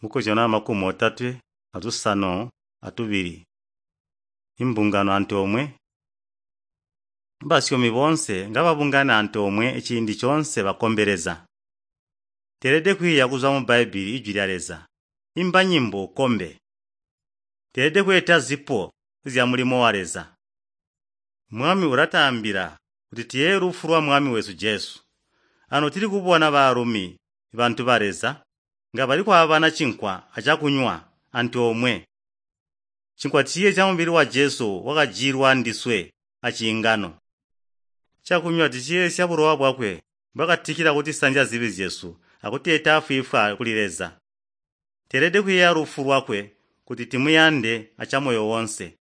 Mukozyano 32. Imbungano antoomwe. Basyomi boonse ngababungana antoomwe ciindi coonse bakombe Leza. Teelede kwiiya kuzwa mu Bbaibbele Ijwi lya Leza. Imba nyimbo ukombe. Teelede kweeta zipo zyamulimo wa Leza. Mwami ulataambila kuti tuyeeye lufu lwa Mwami wesu Jesu. Ano tili kubona baalumi bantu ba Leza nga bali kwaabana cinkwa acakunywa antoomwe. Cinkwa ciyeezya mubili wa Jesu wakajilwa ndiswe aciingano. Cakunywa ticiyeesya bulowa bwakwe bwakatikila kutisanzya zibi zyesu akutuleta afwiifwi kuli Leza. Teelede kuyeeya lufu lwakwe kuti timuyande acamoyo woonse.